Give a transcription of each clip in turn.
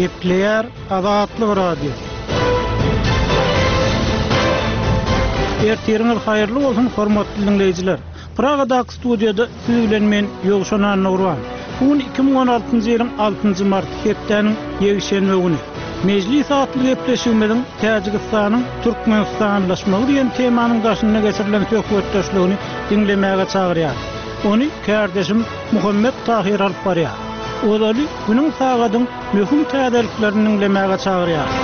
Gepleýär Azatlyk Radiosy. Ertiriňiz haýyrly bolsun, hormatly diňleýjiler! Pragadaky studiýada siz bilen men, Ýowşan Annagurban. Bu gün 2016-njy ýylyň altynjy marty, hepdäniň ýekşenbe güni. Mejlis atly gepleşigimiziň Täjigistanyň türkmenistanlaşmagy diýen temanyň daşynda geçirilen söhbetdeşligini diňlemäge çagyrýarys. Ony kärdeşim Muhammet Tahyr alyp barýar. Ozaly günüň sagadyň möhüm täzeliklerini diňlemäge çagyrýarys.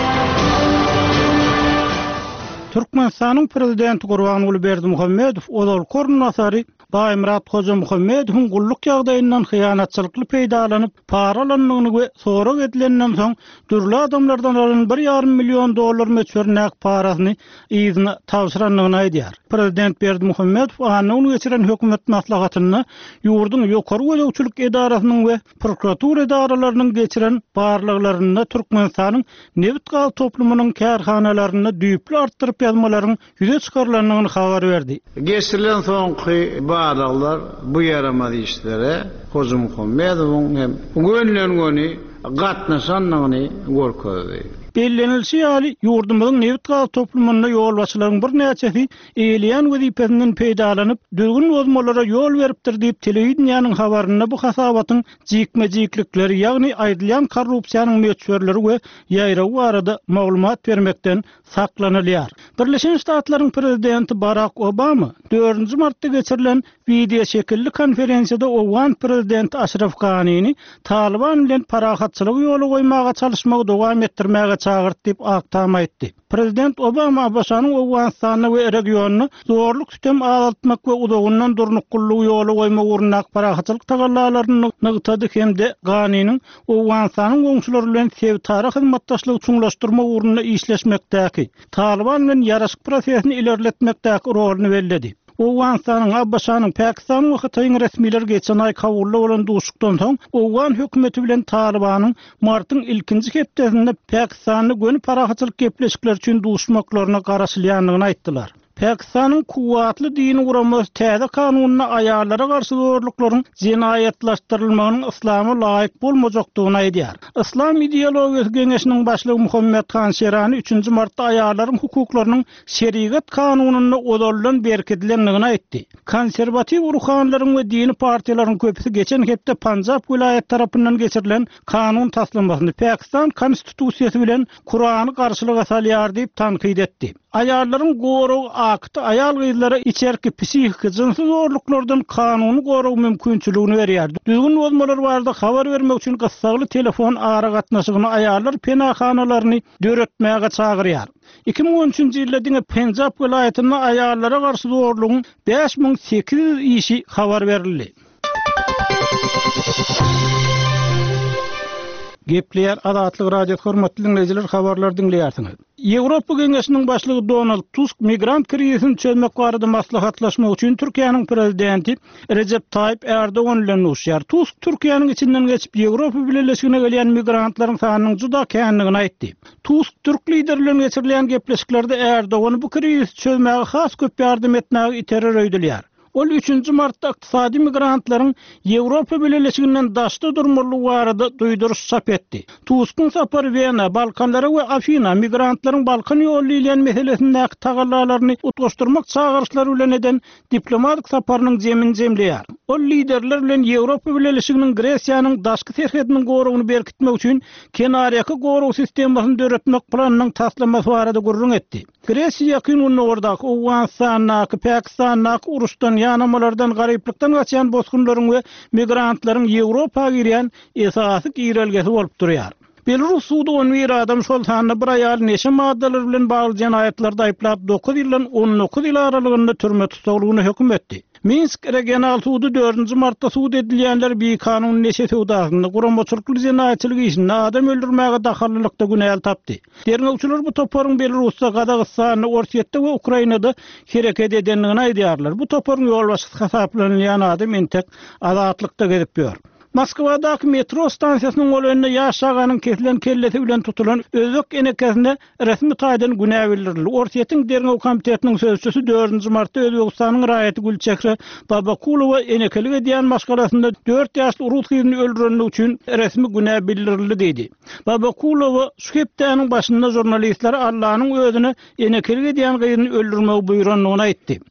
Türkmenistanyň Prezidenti Gurbanguly Berdimuhamedow ozalky orunbasary Baýmyrat Hojamuhammedowyň gulluk ýagdaýyndan hyýanatçylykly peýdalanyp, para alandygyny we sorag edilenden soň dürli adamlardan alan bir ýarym million dollar möçberindäki parasyny yzyna tabşyrandygyny aýdýar. Prezident Berdimuhamedow anna güni geçiren hökümet maslahatynda ýurduň ýokary gözegçilik edarasynyň we prokuratura edaralarynyň geçiren barlaglarynda Türkmenistanyň nebit-gaz toplumynyň kärhanalarynda düýpli artdyryp ýazmalaryň ýüze çykarylandygyny habar berdi. Geçirilen soňky barlaglar bu ýaramaz işlere Hojamuhammedowyň hem gönüden-göni gatnaşandygyny görkezdi. Bellenilişi ýaly, ýurdumyzyň nebit-gaz toplumynda ýolbaşçylaryň birnäçesi eýeleýän wezipesinden peýdalanyp, düzgün bozmalara ýol beripdir diýip, telewideniýäniň habarynda bu hasabatyň jikme-jiklikleri, ýagny aýdylýan korrupsiýanyň möçberleri we ýaýrawy barada maglumat bermekden saklanylýar. Birleşen Ştatlaryň prezidenti Barak Obama dördünji martda geçirilen wideoşekilli konferensiýada owgan prezidenti Aşraf Ganini Talyban bilen parahatçylygy ýola goýmaga çalyşmagy dowam etdirmäge çagyrdy diýip, Ak Tam aýtdy. Prezident Obama ABŞ-nyň Owganystanda we regionda zorluk-sütem azaltmak we uzagyndan durnuklylygy ýola goýmak ugrundaky parahatçylyk tagallalaryny nygtady hem-de Ganiniň Owganystanyň goňşulary bilen sebitara hyzmatdaşlygy çuňlaşdyrmak ugrunda işleşmekdäki, Talyban bilen ýaraşyk prosesini ilerletmekdäki roluny belledi. Owganystanyň, ABŞ-nyň, Pakistanyň we Hytaýyň resmileri geçen aý Kabulda bolan duşuşykdan soň, owgan hökümeti bilen Talybanyň martyň ilkinji hepdesinde Pakistanda göni parahatçylyk gepleşikleri üçin duşmaklaryna garaşylýandygyny aýtdylar. Pakistanyň kuwwatly dini guramasy täze kanunda aýallara garşy zorluklaryň jenaýatlaşdyrylmagynyň yslama laýyk bolmajakdygyny aýdýar. Yslam ideologiýasy geňeşiniň başlygy Muhammet Han Şerani üçünji martda aýallaryň hukuklarynyň şerigat kanunynda ozaldan berkidilendigini aýtdy. Konserwatiw ruhanylaryň we dini partiýalaryň köpüsi geçen hepde Panjap welaýaty tarapyndan geçirilen kanun taslamasyny Pakistan konstitusiýasy bilen Kurany garşylyga salýar diýip tankyt etdi. Aýallaryň gorag akty aýal-gyzlara içerki psihiki, jynsy zorluklardan kanuny gorag mümkinçiligini berýär. Düzgün bozmalar barada habar bermek üçin gyssagly telefon aragatnaşygyny aýallar penahanalaryny döretmäge çagyrýar. 2013-nji ýylda diňe Penjap welaýatynda aýallara garşy zorlugyň 5800 işi habar berildi. Gepleýär Azatlyk Radiosy hormatly diňleýjiler habarlary diňleýärsiňiz. Ýewropa Geňeşiniň başlygy Donald Tusk migrant krizisini çözmek barada maslahatlaşmak üçin Türkiýäniň prezidenti Rejep Taýyp Ärdogan bilen duşýar. Tusk Türkiýäniň içinden geçip Ýewropa Bileleşigine gelýän migrantlaryň sanynyň juda kändigini aýtdy. Tusk türk lideri bilen geçirilýän gepleşiklerde Ärdogany bu krizisi çözmäge has köp ýardam etmäge iterer öýdülýär. Ol üçünji martda ykdysady migrantlaryň Ýewropa Bileleşiginden daşda durmalydygy barada duýduryş çap etdi. Tuskyň sapary Wena, Balkanlara we Afina migrantlaryň Balkan ýoly diýilýän meselesindäki tagallalaryny utgaşdyrmak çagyryşlary bilen eden diplomatik saparynyň jemini jemleýär. Ol liderler bilen Ýewropa Bileleşiginiň Gresiýanyň daşky serhediniň goragyny berkitmek üçin kenarýaka gorag sistemasyny döretmek planynyň taslamasy barada gürrüň etdi. Gresiýa Ýakyn Gündogardaky, Owganystandaky, Pakistandaky uruşdan, ýanamalardan, garyplykdan gaçýan bosgunlaryň we migrantlaryň Ýewropa girýän esasy girelgesi bolup durýar. Belarus sudy 11 adam, şol sanda bir aýaly neşe maddalary bilen bagly jenaýatlarda aýyplap, dokuz ýyldan 19 ýyl aralygynda türme tussaglygyna höküm etdi. Minsk regional sudy dördünji martda sud edilýänleri bikanun neşe söwdasynda, guramaçylykly jenaýatçylyk işinde, adam öldürmäge dahallylykda günäli tapdy. Derňewçiler bu toparyň Belarusda, Gazagystanda, Orsýetde we Ukrainada hereket edendigini aýdýarlar. Bu toparyň ýolbaşçysy hasaplanylýan adam entek azatlykda gezip ýör. Moskwadaky metro stansiýasynyň golaýynda ýaş çaganyň kesilen kellesi bilen tutulan özbek enekesine resmi taýdan günä bildirildi. Orsýetiň Derňew komitetiniň sözçüsi dördünji martda Özbegistanyň raýaty Gülçehre Babakulowa enekelik edýän maşgalasynda dört ýaşly rus gyzyny öldürenligi üçin resmi günä bildirildi diýdi. Babakulowa şu hepdäniň başynda žurnalistlere Allanyň özüne enekelik edýän gyzyny öldürmegi buýrandygyny aýtdy.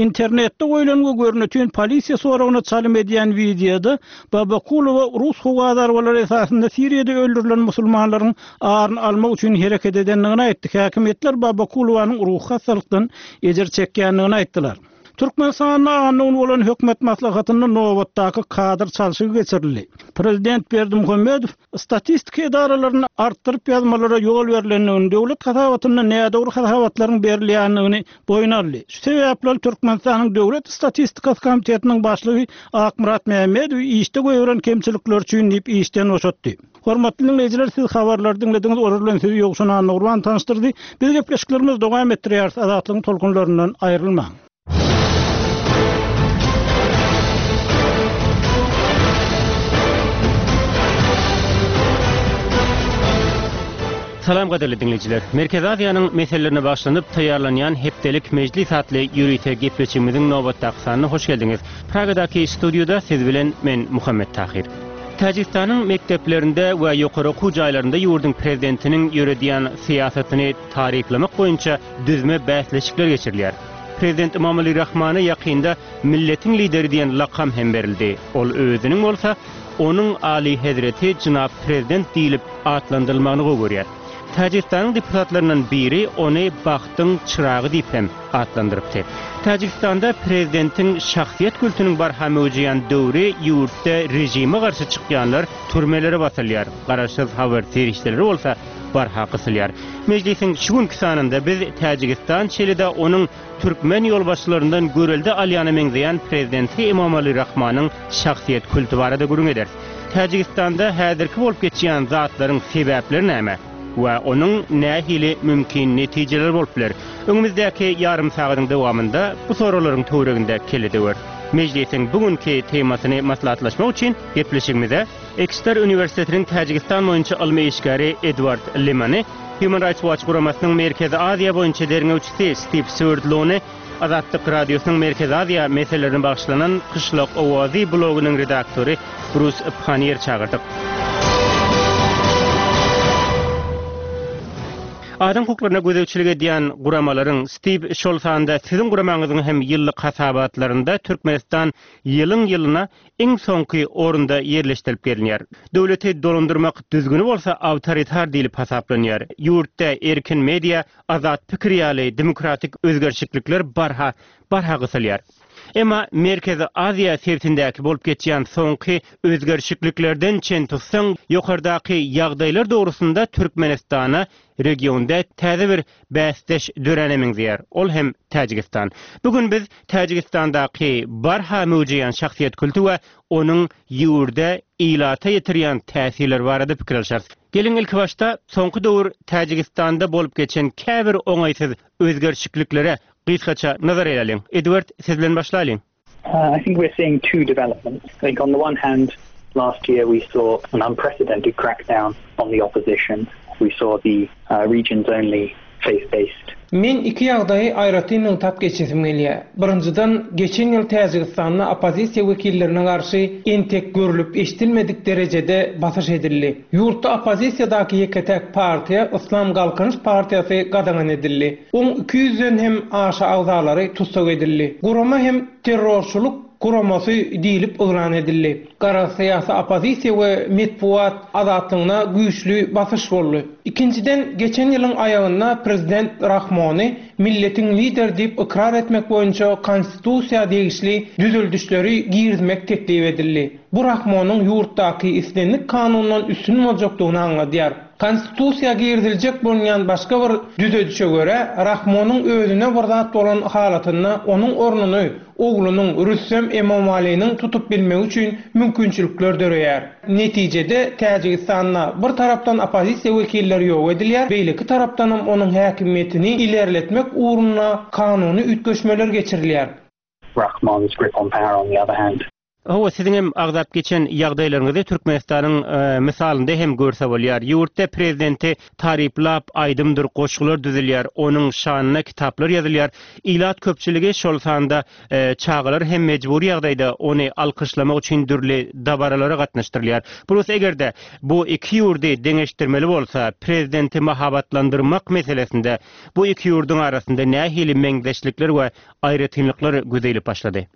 Internetde goýlan we görnetin polisiýa soragyna çalym edýän wideoda Babakulowa rus howa zarbalary esasynda Siriýada öldürilen musulmanlaryň aryny almak üçin hereket edendigini aýtdy. Häkimiýetler Babakulowanyň ruhy hassalykdan ejir çekýändigini aýtdylar. Türkmenistanda anna güni bolan hökümet maslahatynda nobatdaky kadr çalşygy geçirildi. Prezident Berdimuhamedow Statistika edaralarynda artdyryp ýazmalara ýol berlendigini, döwlet hasabatynda nädogry hasabatlaryň berilýändigini boýun aldy. Şu sebäpli ol Türkmenistanyň Döwlet statistikasy komitetiniň başlygy Akmyrat Mämmedowy işde goýberen kemçilikleri üçin diýip işden boşatdy. Hormatly diňleýjiler siz habarlary diňlediňiz, olar bilen sizi Ýowşan Annagurban tanyşdyrdy. Biz gepleşiklerimizi dowam etdirýäris, Azatlygyň tolkunlaryndan aýrylmaň. Salam gadyrly diňleýjiler. Merkezi Aziýanyň meselelerine bagyşlanyp taýýarlanýan hepdelik mejlis atly ýörite gepleşigimiziň nobatdaky sanyna hoş geldiňiz. Pragadaky studiýada siz bilen men Muhammet Tahyr. Täjigistanyň mekdeplerinde we ýokary okuw jaýlarynda ýurduň prezidentiniň ýöredýän syýasatyny taryplamak boýunça düzme bäsleşikler geçirilýär. Prezident Emomali Rahmana ýakynda Milletiň Lideri diýen lakam hem berildi. Ol özüniň bolsa Onuň Alyhezreti jenap Prezident diýlip atlandyrylmagyny gowy görýär. Täjigistanyň deputatlaryndan biri ony bagtyň çyragy diýip hem atlandyrypdy. Täjigistanda prezidentiň şahsyýet kultunyň barha möwjeýän döwri ýurtda režime garşy çykýanlar türmelere basylýar, garaşsyz habar serişdeleri bolsa barha gysylýar. Mejlisiň şu günki sanynda biz Täjigistan, şeýle-de onuň türkmen ýolbaşçylaryndan görelde alýana meňzeýän prezidenti Emomali Rahmanyň şahsyýet kulty barada gürrüň ederis. Täjigistanda häzirki bolup geçýän zatlaryň sebäpleri näme we onuň nähili mümkin netijeleri bolup biler? Öňümizdäki ýarym sagadyň dowamynda bu soraglaryň töwereginde kelle döweris. Mejlisiň bu günki temasyny maslahatlaşmak üçin gepleşigimize Ekster uniwersitetiniň Täjigistan boýunça ylmy işgäri Edward Lemany, Human Rights Watch guramasynyň Merkezi Aziýa boýunça derňewçisi Stiw Swerdlony, Azatlyk Radiosynyň Merkezi Aziýa meselelerine bagyşlanan Kyşlak owazy blogynyň redaktory Brus Panniýer çagyrdyk. Adam hukuklaryna gözegçilik edýän guramalaryň, Stiw, şol sanda siziň guramaňyzyň hem ýyllyk hasabatlarynda Türkmenistan ýylyň-ýylyna iň soňky orunda ýerleşdirilip gelinýär. Döwleti dolandyrmak düzgüni bolsa awtoritar diýlip hasaplanýar. Ýurtda erkin media, azat pikir ýaly demokratik özgerişiklikler barha barha gysylýar. Emma Merkezi Aziýa sebitindäki bolup geçýän soňky özgerişikliklerden çen tutsaň, ýokardaky ýagdaýlar dogrusynda Türkmenistana regionda täze bir bäsdeş döräne meňzeýär, ol hem Täjigistan. Bu gün biz Täjigistandaky barha möwjeýän şahsyýet kulty we onuň ýurda, ilata ýetirýän täsirleri barada pikir alşarys. Geliň ilkibaşda soňky döwür Täjigistanda bolup geçen käbir oňaýsyz özgerişikliklere gysgaça nazar aýlalyň. Edward, siz bilen başlalyň. I think we're seeing two developments. I think on the one hand, last year we saw an unprecedented crackdown on the opposition. We saw the uh, region's only faith-based Men iki ýagdaýy aýratyn nygtap geçesim gelýär. Birinjiden, geçen ýyl Täjigistanda oppozisiýa wekillerine garşy entek görlüp-eşidilmedik derejede basyş edildi. Ýurtda oppozisiýadaky ýeke-täk partiýa, Yslam Galkynyş partiýasy gadagan edildi. Oň 200-den hem aşa agzalary tussag edildi. Gurama hem terrorçylyk guramasy diýlip yglan edildi. Garaz, syýasy oppozisiýa we metbugat azatlygyna güýçli basyş boldy. Ikinjiden, geçen ýylyň aýagynda prezident Rahmony milletiň lideri diýip ykrar etmek boýunça konstitusiýa degişli düzeldişleri girizmek teklip edildi. Bu Rahmonyň ýurtdaky islendik kanundan üstün boljakdygyny aňladýar. Konstitusiýa giriziljek bolunýan başga bir düzedişe görä, Rahmonyň özüne bir zat bolan halatynda onuň ornuny oglunyň, Rüstem Emomaliniň tutup bilmegi üçin mümkinçilikler döreýär. Netijede, Täjigistanda bir tarapdan oppozisiýa wekilleri ýok edilýär, beýleki tarapdanam onuň häkimiýetini ilerletmek ugrunda kanuny üýtgeşmeler geçirilýär. Rahmon's grip on power on the other hand. Hawa, siziň hem agzap geçen ýagdaýlaryňyzy Türkmenistanyň mysalynda hem görse bolýar. Ýurtda prezidenti taryplap aýdymdyr goşgular düzülýär, onuň şanyna kitaplar ýazylýar. Ilat köpçüligi, şol sanda çagalar hem mejbury ýagdaýda ony alkyşlamak üçin dürli dabaralara gatnaşdyrylýar. Plus eger-de bu iki ýurdy deňeşdirmeli bolsa, prezidenti mahabatlandyrmak meselesinde bu iki ýurduň arasynda nähili meňzeşlikler we aýratynlyklar göze ilip başlady?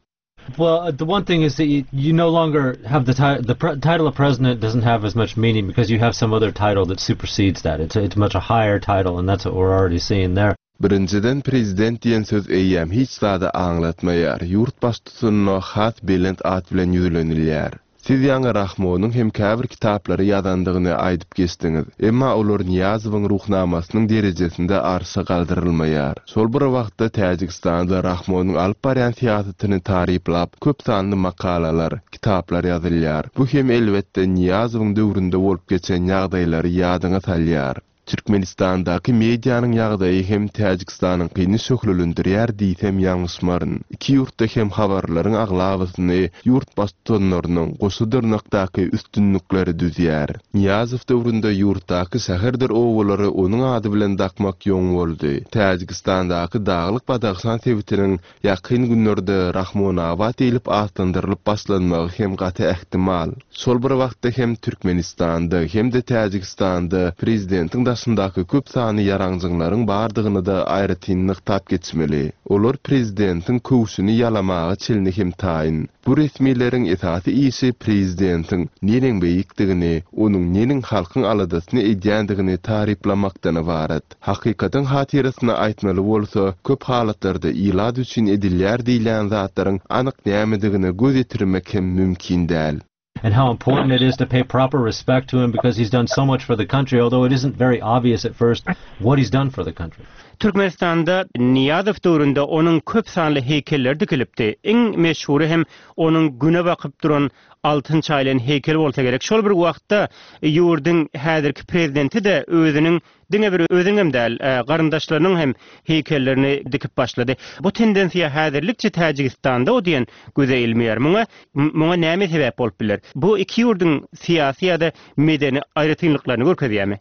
Well, the one thing is that you, you no longer have the title. The pre- title of president doesn't have as much meaning because you have some other title that supersedes that. It's it's much a higher title, and that's what we're already seeing there. Birinjiden prezident diýen söz eýýäm hiç zady aňlatmaýar, ýurt baştutanyna has belent at bilen ýüzlenilýär. Siz ýaňy Rahmonyň hem käbir kitaplary ýazandygyny aýdyp geçdiňiz. Emma olar Nyýazowyň Ruhnamasynyň derejesinde arşa galdyrylmaýar. Şol bir wagtda Täjigistanda Rahmonyň alyp barýan syýasatyny taryplap köp sanly makalalar, kitaplar ýazylýar. Bu hem elbetde Nyýazowyň döwründe bolup geçen ýagdaýlary ýadyňa salýar. Türkmenistandaky medianyň ýagdaýy hem Täjigistanyňkyny şöhlelendirýär diýsem ýalňyşmaryn. Iki ýurtda hem habarlaryň aglabasyny ýurt baştutanlarynyň goşa dyrnakdaky üstünlikleri düzýär. Nyýazow döwründe ýurtdaky şäherdir obalary onuň ady bilen dakmak ýoň boldy. Täjigistandaky Daglyk Badahşan sebitiniň Ýakyn günlerde Rahmonabat diýlip atlandyrylyp başlanmagy hem gaty ähtimal. Şol bir wagtda hem Türkmenistanda hem-de Täjigistanda prezidentiň daşyndaky köp sanly ýaranjyňlaryň bardygyny-da aýratyn nygtap geçmeli. Olar prezidentiň köwşüni ýalamaga çenli hem taýyn. Bu resmileriň esasy işi prezidentiň neneň beýikdigini, onuň neneň halkyň aladasyny edýändigini taryplamakdan ybarat. Hakykatyň hatyrasyna aýtmaly bolsa, köp halatlarda ilat üçin edilýär diýilýän zatlaryň anyk nämedigine göz ýetirmek hem mümkin däl. And how important it is to pay proper respect to him because he's done so much for the country, although it isn't very obvious at first what he's done for the country. Türkmenistanda Nyýazow döwründe onuň köp sanly heýkelleri dikilipdi. Iň meşhury hem onuň Güne bakyp duran altyn çaýylan heýkeli bolsa gerek. Şol bir wagtda ýurduň häzirki prezidenti-de özüniň Diňe bir özüniňem däl, garyndaşlarynyň hem heýkellerini dikip başlady. Bu tendensiýa häzirlikçe Täjigistanda o diýen göze ilmeýär. Muňa muňa näme sebäp bolup biler? Bu iki ýurduň syýasy ýa-da medeni aýratynlyklaryny görkezýärmi?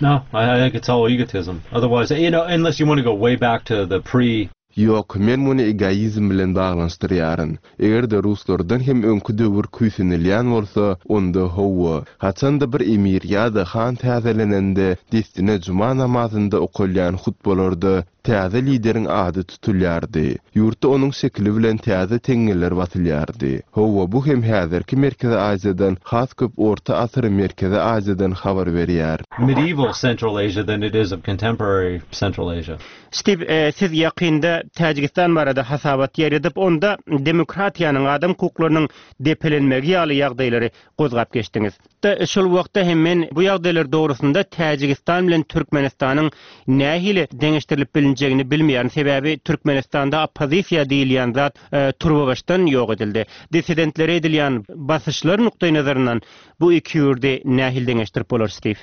No, I think it's all egotism. Otherwise, you know, unless you want to go way back to the pre. Ýok, men muny egoizm bilen baglanyşdyrýaryn. Eger-de ruslardan hem öňki döwür küýsenilýän bolsa, onda hawa, haçan-da bir emir ýa-da han täzelenende, dessine juma namazynda okalýan hutbalarda täze lideriň ady tutulýardy. Ýurtda onuň şekili bilen täze teňňeler basylýardy. Hawa, bu hem häzirki Merkezi Aziýadan has köp orta asyr Merkezi Aziýadan habar berýär. Medieval Central Asia than it is of contemporary Central Asia. Stiw, siz ýakynda Täjigistan barada hasabat ýaýradyp, onda demokratiýanyň, adam hukuklarynyň depelenmegi ýaly ýagdaýlary gozgap geçdiňiz. Şol wagtda hem men bu ýagdaýlar dogrusynda Täjigistan bilen Türkmenistanyň nähili deňeşdirilip bilinjegini bilmeýärin, sebäbi Türkmenistanda oppozisiýa diýilýän zat turbabaşdan ýok edildi. Dissidentlere edilýän basyşlar nukdaýnazaryndan bu iki ýurdy nähili deňeşdirip bolar, Stiw?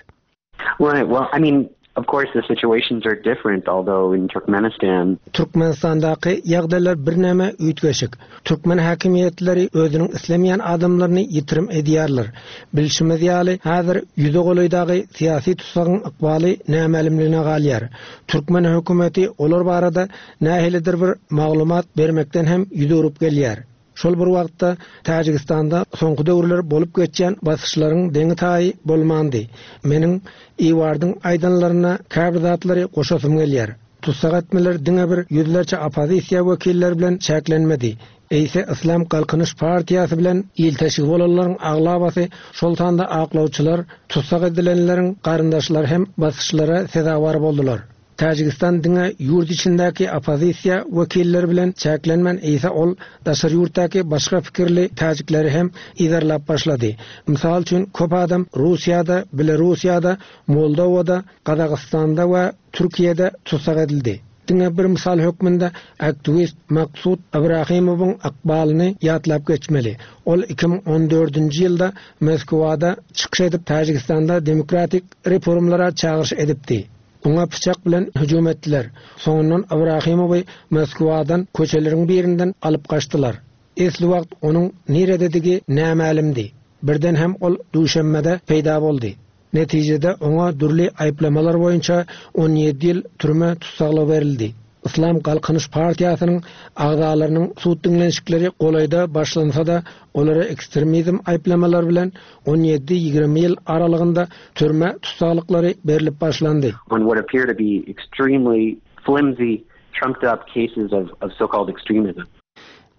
Right. Well, I mean, of course the situations are different, although in Turkmenistan. Türkmenistandaky ýagdaýlar birneme üýtgeşik. Türkmen häkimiýetleri özüniň islemeýän adamlaryny ýitirim edýärler. Bilşimiz ýaly, häzir ýüze golaý dagy syýasy tussagyň ykbaly nämälimligine galýar. Türkmen hökümeti olar barada nähilidir bir maglumat bermekden hem ýüz öwrüp gelýär. Şol bir wagtda, Täjigistanda soňky döwürler bolup geçýän basyşlaryň deňi-taýy bolmandy. Meniň Iwardyň aýdanlaryna käbir zatlary goşasym gelýär. Tussag etmeler diňe bir ýüzlerçe oppozisiýa wekilleri bilen çäklenmedi, eýse Yslam Galkynyş partiýasy bilen ilteşigi bolanlaryň aglabasy, şol sanda aklawçylar, tussag edilenleriň garyndaşlary hem basyşlara sezewar boldular. Täjigistan diňe ýurt içindäki oppozisiýa wekilleri bilen çäklenmän eýse ol daşary ýurtdaky başga pikirli täjikleri hem yzarlap başlady. Mysal üçin köp adam Russiýada, Belarussiýada, Moldowada, Gazagystanda we Türkiýede tussag edildi. Diňe bir mysal hökmünde aktiwist Maksud Ibrahimowyň ykbalyny ýatlap geçmeli. Ol 2014-nji ýylda Moskwada çykyş edip Täjigistanda demokratik reformlara çagyryş edipdi. Oňa pyçak bilen hüjüm etdiler. Soňundan Ibrahimowy Moskwadan köçeleriň birinden alyp gaçdylar. Esli wagt onuň nirededigi nämälimdi. Birden hem ol Duşenbede peýda boldy. Netijede oňa dürli aýyplamalar boýunça 17 ýyl türme tussaglygy berildi. Yslam Galkynyş partiýasynyň agzalarynyň sud diňlenişikleri golaýda başlansa-da, olara ekstremizm aýyplamalary bilen on ýedi-ýigrimi ýyl aralygynda türme tussaglyklary berlip başlandy. On what appear to be extremely flimsy, trumped up cases of of so-called extremism.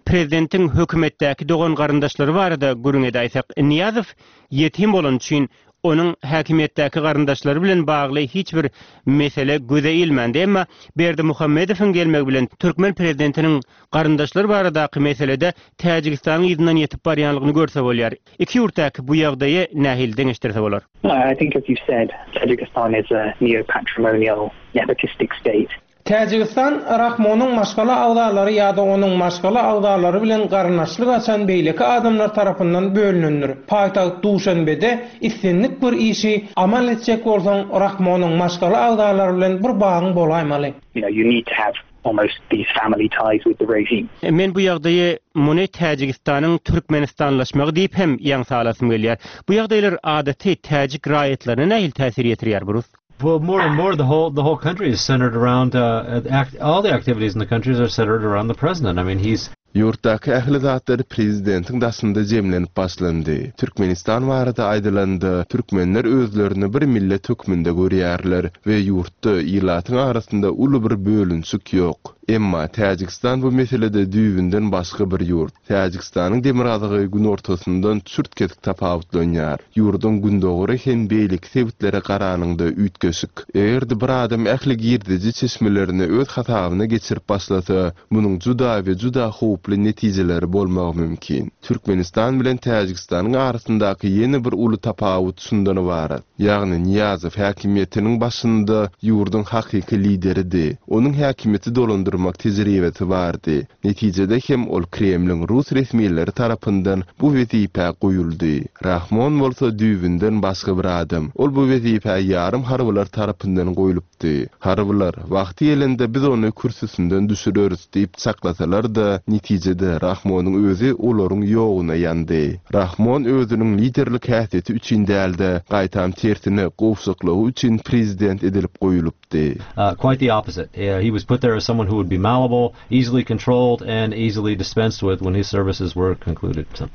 Prezidentiň hökümetdäki dogan-garyndaşlary barada gürrüň edäýsek, Nyýazow ýetim bolany üçin onuň häkimiýetdäki garyndaşlary bilen bagly hiç bir mesele göze ilmändi. Emma Berdimuhamedowyň gelmegi bilen türkmen prezidentiniň garyndaşlary baradaky meselede Täjigistanyň yzyndan ýetip barýanlygyny görse bolýar. Iki ýurtdaky bu ýagdaýy nähili deňeşdirse bolar? I think as you said, Tajikistan is a neo-patrimonial nepotistic state. Täjigistan Rahmonyň maşgala agzalary ýa-da onuň maşgala agzalary bilen garyndaşlyk açan beýleki adamlar tarapyndan bölünendir. Paýtagt Duşanbede islendik bir işi amal etjek bolsaň Rahmonyň maşgala agzalary bilen bir bagyň bolaýmaly. You know, you need to have almost these family ties with the regime. Men bu ýagdaýy muny Täjigistanyň türkmenistanlaşmagy diýip hem ýaňsa alasym gelýär. Bu ýagdaýlar adaty täjik raýatlaryna nähili täsir ýetirýär, Brus? Well, more and more, the whole the whole country is centered around uh, act, all the activities in the countries are centered around the president. I mean, he's Ýurtdaky ähli zatlar prezidentiň daşynda jemlenip başlandy. Türkmenistan barada aýdylanda, türkmenler özlerini bir millet hökmünde görýärler we ýurtda ilatyň arasynda uly bir bölünişik ýok. Emma Täjigistan bu meselede düýbünden başga bir ýurt. Täjigistanyň demirgazygy günortasyndan çürt-kesik tapawutlanýar. Ýurduň gündogary hem beýleki sebitlere garanyňda üýtgeşik. Eger-de bir adam ähli girdeji çeşmelerini öz hasabyna geçirip başlasa, munuň juda we juda howply netijeleri bolmagy mümkin. Türkmenistan bilen Täjigistanyň arasyndaky ýene bir uly tapawut şundan ybarat. Ýagny Nyýazow häkimiýetiniň başynda ýurduň hakyky lideridi. Onuň häkimiýeti dolandyrmak tejribesi bardy. Netijede hem ol Kremliň rus resmileri tarapyndan bu wezipä goýuldy. Rahmon bolsa düýbünden başga bir adam. Ol bu wezipä ýarym harbylar tarapyndan goýlupdy. Harbylar, wagty gelende biz ony kürsüsinden düşüreris diýip çaklasalar-da, netijede Rahmonyň özi olaryň ýoguna ýandy. Rahmon özüniň liderlik häsiýeti üçin däl-de, gaýtam tersine gowşaklygy üçin prezident edilip goýulypdy. Uh, quite the opposite. Uh, he was put there as someone who would be malleable, easily controlled, and easily dispensed with when his services were concluded. So.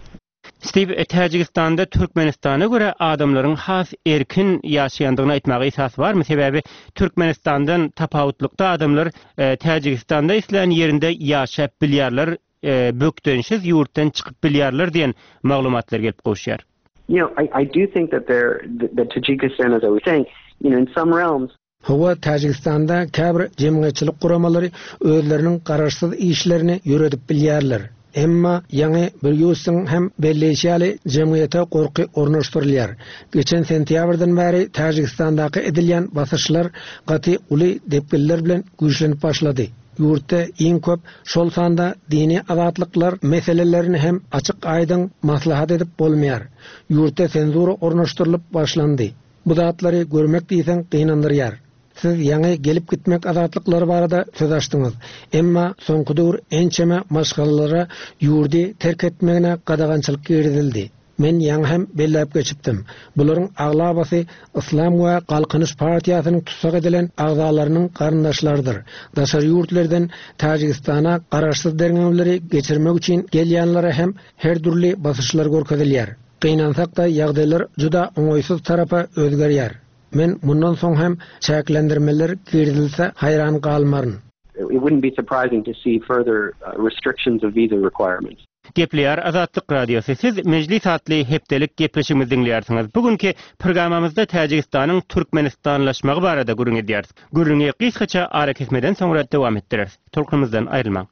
Steve, e, Täjigistanda Türkmenistana görä adamlaryň has erkin ýaşaýandygyny aýtmaga esas barmy? Sebäbi Türkmenistandan tapawutlykda adamlar e, Täjigistanda islän ýerinde ýaşap bilýärler, e, bökdençsiz ýurtdan çykyp bilýärler diýen maglumatlar gelip gowuşýar. You know, I, I do think that there that Tajikistan, as I was saying, you know, in some realms Hawa, Täjigistanda käbir jemgyýetçilik guramalary özleriniň garaşsyz işlerini ýöredip bilýärler. Emma, ýaňy Brýusyň hem belleýşi ýaly, jemgyýete gorky ornaşdyrylýar. Geçen sentýabrdan bäri Täjigistandaky edilýän basyşlar gaty uly depginler bilen güýçlenip başlady. Ýurtda iň köp, şol sanda dini azatlyklar meselelerini hem açyk-aýdyň maslahat edip bolmaýar. Ýurtda senzura ornaşdyrylyp başlandy. Bu zatlary görmek diýseň gynandyrýar. Siz ýaňy gelip-gitmek azatlyklary barada söz açdyňyz. Emma soňky döwür ençeme maşgalalara ýurdy terk etmegine gadagançylyk girizildi. Men ýaňy hem belläp geçipdim. Bularyň aglabasy Yslam we Galkynyş partiýasynyň tussag edilen agzalarynyň garyndaşlarydyr. Daşary ýurtlerden Täjigistana garaşsyz derňewleri geçirmek üçin gelýänlere hem her dürli basyşlar görkezilýär. Gynansak-da, ýagdaýlar juda oňaýsyz tarapa özgerýär. Men mundan soň hem çäklendirmeler girizilse haýran galmaryn. It wouldn't be surprising to see further restrictions of visa requirements. Gepleýär Azatlyk Radiosy. Siz Mejlis atly hepdelik gepleşigimizi diňleýärsiňiz. Bu günki programmamyzda Täjigistanyň türkmenistanlaşmagy barada gürrüň edýäris. Gürrüňi gysgaça arakesmeden soňra dowam etdireris. Tolkunymyzdan aýrylmaň.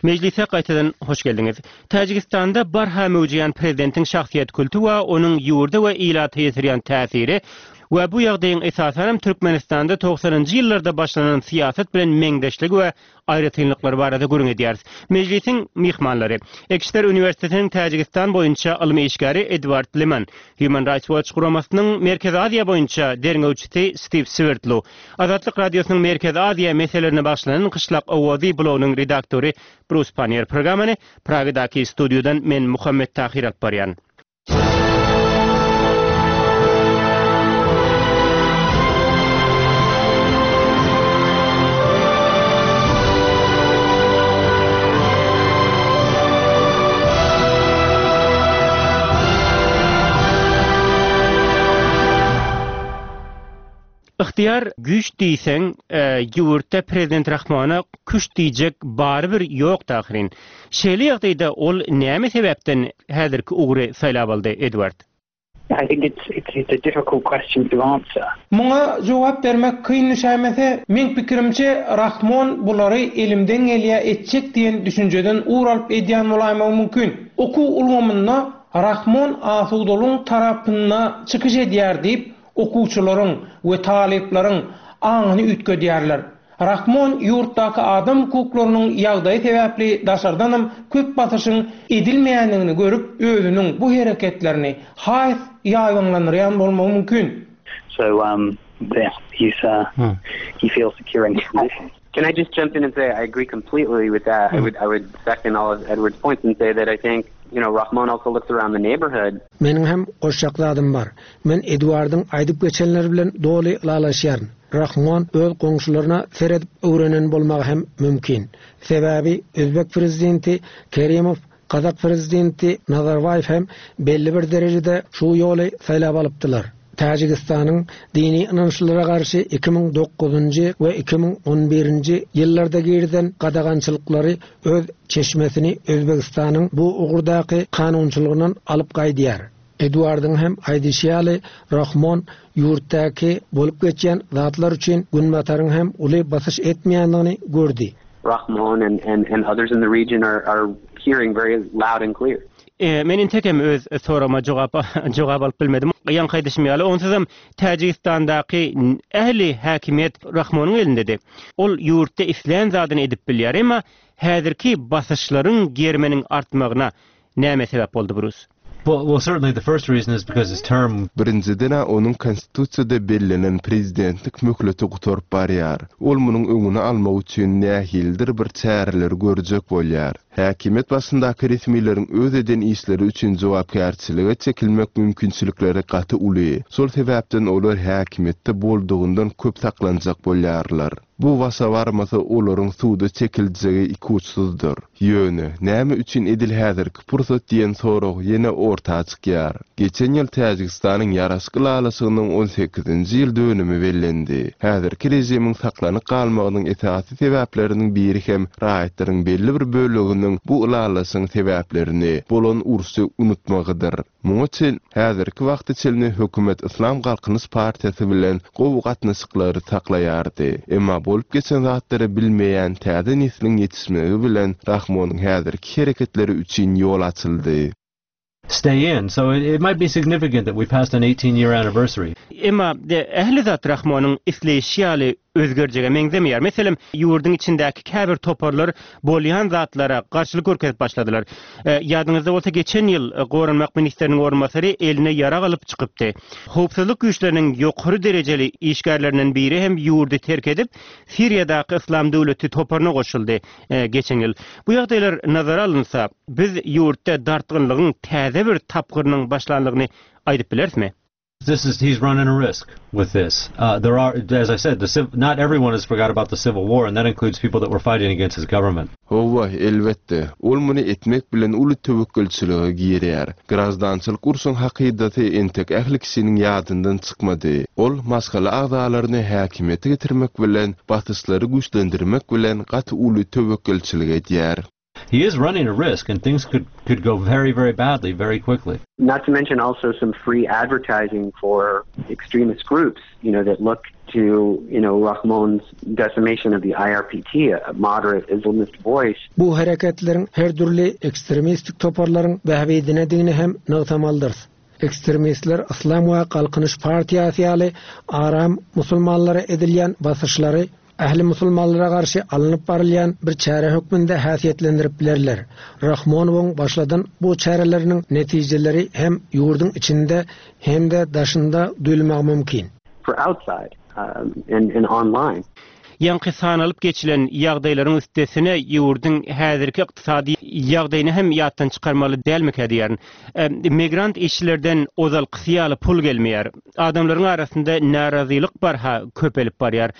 Mejlise gaýtadan hoş geldiňiz. Täjigistanda barha möwjeýän prezidentiň şahsyýet kulty we onuň ýurda we ilata ýetirýän täsiri we bu ýagdaýyň esasanam Türkmenistanda togsanynjy ýyllarda başlanan syýasat bilen meňzeşligi we aýratynlyklary barada gürrüň edýäris. Mejlisiň myhmanlary, Ekşter uniwersitetiniň Täjigistan boýunça ylmy işgäri Edward Leman, Human Rights Watch guramasynyň Merkezi Aziýa boýunça derňewçisi Stiw Swerdlow, Azatlyk Radiosynyň Merkezi Aziýa meselelerine bagyşlanan Gyşlak owazy blogynyň redaktory Brus Panniýer. Programmany Pragadaky studiýadan men Muhammet Tahyr alyp barýan. Ygtyýar güýç diýseň, ýurtda prezident Rahmona küşt diýjek barybir ýokdy ahyryn. Şeýle ýagdaýda ol näme sebäpden häzirki ugry saýlap aldy, Edward? I think it's it's a difficult question to answer. Muňa jogap bermek kyn düşäýmese, meň pikirimçe Rahmon bulary elimden gelýä etjek diýen düşünjeden ugur alyp edýän bolaýmagy mümkin. Okuw ulgamynda Rahmon asudalygyň tarapynda çykyş edýär diýip, okuwçylaryň we talyplaryň aňyny üýtgedýärler. Rahmon ýurtdaky adam hukuklarynyň ýagdaýy sebäpli daşardanam köp basyşyň edilmeýändigini görüp özüniň bu hereketlerini has ýaýbaňlandyrýan bolmagy mümkin. So yeah, he's he feels secure in his position. Can I just jump in and say I agree completely with that. I would I would second all of Edward's points and say that I think, you know, Rahmon also looks around the neighborhood. Meniň hem goşjak zadym bar. Men Eduardyň aýdyp geçenleri bilen doly ylalaşýaryn. Rahmon öz goňşularyna seredip öwrenen bolmagy hem mümkin. Sebäbi özbek prezidenti Kerimow, gazak prezidenti Nazarbaýew hem belli bir derejede şu ýoly saýlap alypdylar. Täjigistanyň dini ynançlylara garşy 2009-njy we 2011-nji ýyllarda girizen gadagançylyklary öz çeşmesini Özbegistanyň bu ugurdaky kanunçylygyndan alyp gaýdýar. Eduardyň hem aýdyşy ýaly, Rahmon ýurtdaky bolup geçýän zatlar üçin Günbataryň hem uly basyş etmeýändigini gördi. Rahmon and and and others in the region are are hearing very loud and clear. Men entegem öz soragyma jogap jogap alyp bilmedim. Ýaňky aýdyşym ýaly, onsuzam Täjigistandaky ähli häkimiýet Rahmonyň elindedi. Ol ýurtda islän zadyny edip bilýär. Emma häzirki basyşlaryň geriminiň artmagyna näme sebäp boldy, Brus? Well, well certainly the first reason is because his term. Birinjiden-ä onuň konstitusiýada bellenen prezidentlik möhleti gutaryp barýar. Ol munuň öňüni almak üçin nähilidir bir çäreleri görjek bolýar. Häkimiýet başyndaky resmileriň öz eden işleri üçin jogapkärçilige çekilmek mümkinçilikleri gaty uly. Şol sebäpden olar häkimiýetde boldugyndan köp saklanjak bolýarlar. Bu başa barmasa olaryň suda çekiljegi ikuçsuzdyr. Ýöne, näme üçin edil häzirki pursat diýen sorag ýene orta çykýar. Geçen ýyl Täjigistanyň ýaraşyk ylalaşygynyň on sekizinji ýyl dönümi bellendi. Häzirki režimiň saklanyp galmagynyň esasy sebäpleriniň biri hem raýatlaryň belli bir böleginiň bu ylalaşygyň sebäplerini, bolan urşy unutmagydyr. Muňa çen, häzirki wagta çenli hökümet Yslam Galkynyş partiýasy bilen gowy gatnaşyklary saklaýardy. Emma bolup geçen zatlary bilmeýän täze nesliň ýetişmegi bilen Rahmonyň häzirki hereketleri üçin ýol açyldy. Stay in, so it it might be significant that we passed an 18 year anniversary. Emma ähli zat Rahmonyň isleýşi ýaly özgerjege meňzemeýär. Meselem, ýurduň içindäki käbir toparlar bolýan zatlara garşylyk görkezip başladylar. Ýadyňyzda bolsa, geçen ýyl goranmak ministriniň orunbasary eline ýarag alyp çykypdy. Howpsuzlyk güýçleriniň ýokary derejeli işgärlerinden biri hem ýurdy terk edip, Siriýadaky Yslam döwleti toparyna goşuldy geçen ýyl. Bu ýagdaýlar nazara alynsa, biz ýurtda dartgynlygyň täze bir tapgyrynyň başlandygyny aýdyp bilerismi? This is he's running a risk with this. Uh, there are, as I said, the civ- not everyone has forgot about the Civil War, and that includes people that were fighting against his government. Hawa, elbetde, ol muny etmek bilen uly töwekgelçilige girýär. Graždançylyk urşuň hakydasy entek ähli kişiniň ýadyndan çykmady. Ol maşgala agzalaryny häkimiýete getirmek bilen, basyşlary güýçlendirmek bilen gaty uly töwekgelçilik edýär. he is running a risk and things could could go very very badly very quickly. Not to mention also some free advertising for extremist groups, you know, that look to, you know, Rahmon's decimation of the IRPT, a moderate Islamist voice. Bu hereketleriň her dürli ekstremistik toparlaryň bähbidinedigini hem nygtamalydyrys. Ekstremistler Yslam we Galkynyş partiýasy ýaly aram musulmanlara edilýän basyşlary ähli musulmanlara garşy alnyp barylýan bir çäre hökmünde häsiýetlendirip bilerler. Rahmonowyň başladan bu çäreleriniň netijeleri hem ýurduň içinde hem-de daşynda duýulmagy mümkin. For outside and and online. Ýaňky sanalyp geçilen ýagdaýlaryň üstesine ýurduň häzirki ykdysady ýagdaýyny hem ýatdan çykarmaly dälmikä diýýärin. Migrant işçilerden ozalkysy ýaly pul gelmeýär. Adamlaryň arasynda närazylyk barha köpelip barýar.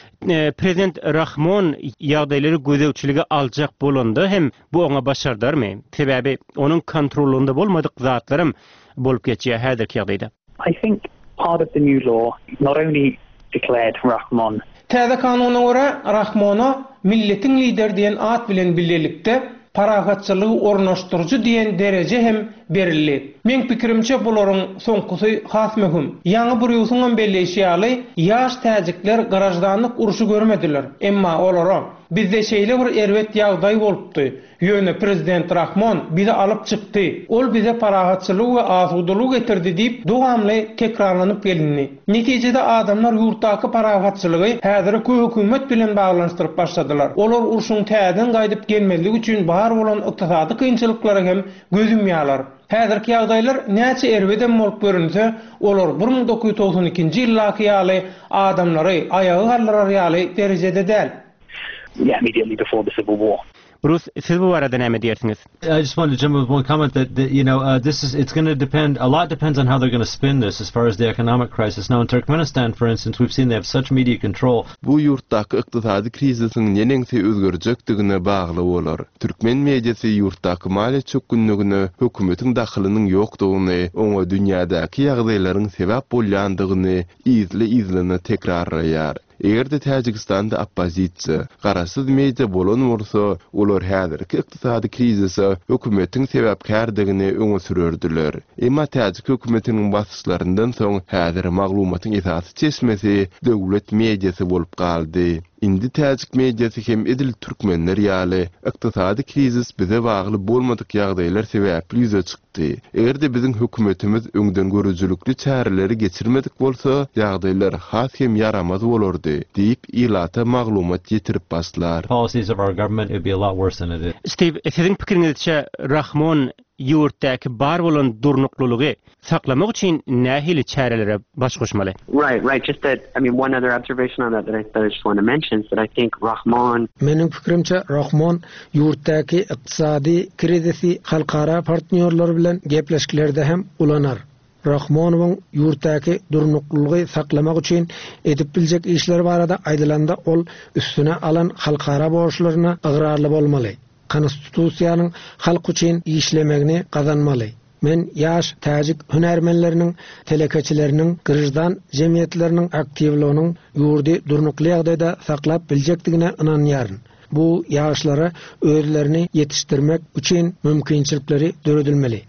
Prezident Rahmon ýagdaýlary gözegçilige aljak bolanda hem bu oňa başardarmy? Sebäbi onuň kontrollygynda bolmadyk zatlaram bolup geçýär häzirki ýagdaýda. I think part of the new law not only declared Rahmon. Täze kanuna görä, Rahmona Milletiň lideri diýen at bilen bilelikde, parahatçylygy ornaşdyryjy diýen dereje hem berildi. Meň pikirimçe, bularyň soňkusy has möhüm. Ýaňy Brýusyňam belleýşi ýaly, ýaş täjikler graždanlyk urşy görmediler. Emma olara, Bizde şeýle bir erbet ýagdaý bolupdy. Ýöne prezident Rahmon bizi alyp çykdy. Ol bize parahatçylygy we asudalygy getirdi diýip, dowamly tekrarlanyp gelindi. Netijede adamlar ýurtdaky parahatçylygy häzirki hökümet bilen baglanyşdyryp başladylar. Olar urşuň täzeden gaýdyp gelmezligi üçin bar bolan ykdysady kynçylyklara hem göz ýumýarlar. Häzirki ýagdaýlar näçe erbedem bolup görünse, olar 1992-nji ýyldaky ýaly adamlary aýaga galdyrar ýaly derejede däl. Yeah, immediately before the civil war. Brus, siz bu barada näme diýersiňiz? I just wanted to jump with one comment that, that you know, uh, this is it's going to depend a lot depends on how they're going to spin this as far as the economic crisis. Now in Turkmenistan, for instance, we've seen they have such media control. Bu ýurtdaky ykdysady krizisiň neneňsi özgerjekdigine bagly bolar. Türkmen mediasy ýurtdaky maliýe çökgünligine hökümetiň dahylynyň ýokdugyny, oňa dünýädäki ýagdaýlaryň sebäp bolýandygyny yzly-yzlyna tekrarlaýar. Eger-de Täjigistanda oppozisiýa, garaşsyz media bolan bolsa, olar häzirki ykdysady krizise hökümetiň sebäpkärdigini öňe sürerdiler. Emma täjik hökümetiniň basyşlaryndan soň häzir maglumatyň esasy çeşmesi döwlet mediasy bolup galdy. Indi täjik mediasy hem edil türkmenler ýaly, ykdysady krizis bize bagly bolmadyk ýagdaýlar sebäpli ýüze çykdy. Eger-de biziň hökümetimiz öňdengörüjilikli çäreleri geçirmedik bolsa, ýagdaýlar has hem ýaramaz bolardy, diýip, ilata maglumat ýetirip başlar. Policies of our government, it would be a lot worse than it is. Stiw, siziň pikiriňizçe Rahmon ýurtdaky bar bolan durnuklylygy saklamak üçin nähili çärelere baş goşmaly? Right, right. Just that, I mean, one other observation on that that I, that I just want to mention is that I think Rahmon. Meniň pikirimçe, Rahmon ýurtdaky ykdysady krizisi halkara partnýorlar bilen gepleşiklerde hem ulanar. Rahmonowyň ýurtdaky durnuklylygy saklamak üçin edip biljek işleri barada aýdylanda ol üstüne alan halkara borçlaryna ygrarly bolmaly. Konstitusiýanyň halk üçin işlemegini gazanmaly. Men ýaş täjik hünärmenleriniň, telekeçileriniň, graždan jemgyýetleriniň aktiwliginiň ýurdy durnukly ýagdaýda saklap biljekdigine ynanýaryn. Bu ýaşlara özlerini ýetişdirmek üçin mümkinçilikleri döredilmeli.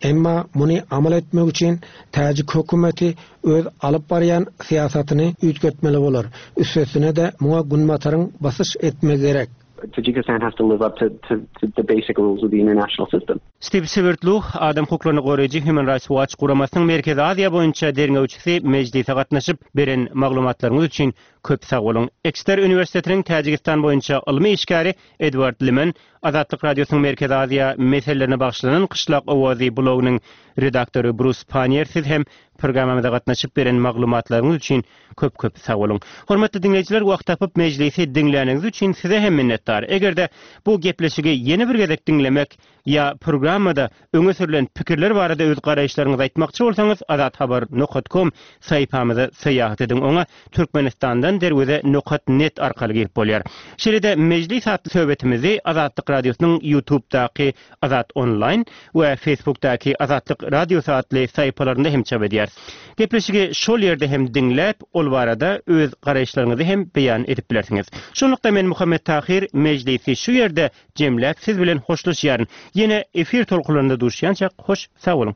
Emma muny amal etmek üçin täjik hökümeti öz alyp barýan syýasatyny üýtgetmeli bolar. Üstesine-de muňa Günbataryň basyş etmegi gerek. Tajikistan has to live up to to to the basic rules of the international system. Stiw Swerdlow, adam hukuklaryny goraýjy Human Rights Watch guramasynyň Merkezi Aziýa boýunça derňewçisi mejlise gatnaşyp, beren maglumatlaryňyz üçin köp sag boluň. Ekster uniwersitetiniň Täjigistan boýunça ylmy işgäri Edward Limen, Azatlyk Radiosynyň Merkezi Aziýa meselelerine bagyşlanan Kyşlak owazy blogynyň redaktory Brus Pannier siz hem programmamyza gatnaşyp beren maglumatlaryňyz üçin Köp-köp sag boluň. Hormatly diňleýjiler, wagt tapyp mejlisi diňläniňiz üçin size hem minnetdar. Eger-de bu gepleşigi ýene bir gezek diňlemek ýa programmada öňe sürlen pikirler barada öz garaýyşlaryňyzy aýtmakçy bolsaňyz azathabar nokat kom saýypamyza syýahat ediň. Oňa Türkmenistandan. Ýaňdan derweze nokat net arkaly girip bolýar. Şeýle-de Mejlis atly söhbetimizi Azatlyk Radiosynyň Ýutubdaky Azat Onlaýn we Facebookdaky Azatlyk Radiosy atly sahypalarynda hem çap edýäris. Gepleşigi şol ýerde hem diňläp, ol barada öz garaýyşlaryňyzy hem beýan edip bilersiňiz. Şunlukda men Muhammet Tahyr Mejlisi şu ýerde jemläp siz bilen hoşlaşýaryn. Ýene efir tolkunlarynda duşýançak hoş sag boluň.